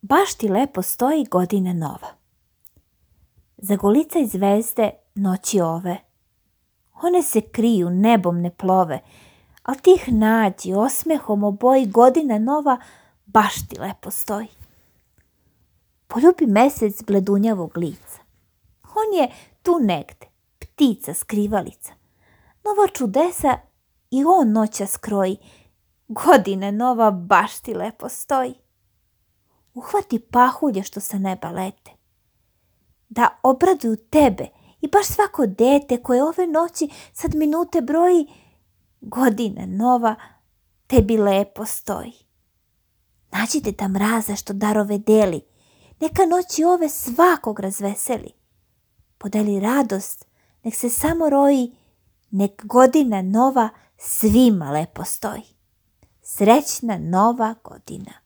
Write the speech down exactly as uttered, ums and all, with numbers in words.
Baš ti lepo stoji godina nova. Zagolicaj zvezde noći ove. One se kriju, nebom ne plove, al ti ih nađi, osmehom oboji, godina nova baš ti lepo stoji. Poljubi mesec bledunjavog lica. On je tu negde, ptica skrivalica. Nova čudesa i on noćas kroji, godina nova baš ti lepo stoji. Uhvati pahulje što sa neba lete, da obraduju tebe i baš svako dete koje ove noći sad minute broji, godina nova tebi lepo stoji. Nađi Deda Mraza što darove deli, neka noći ove svakog razveseli. Podeli radost, nek se samo roji, nek godina nova svima lepo stoji. Srećna nova godina.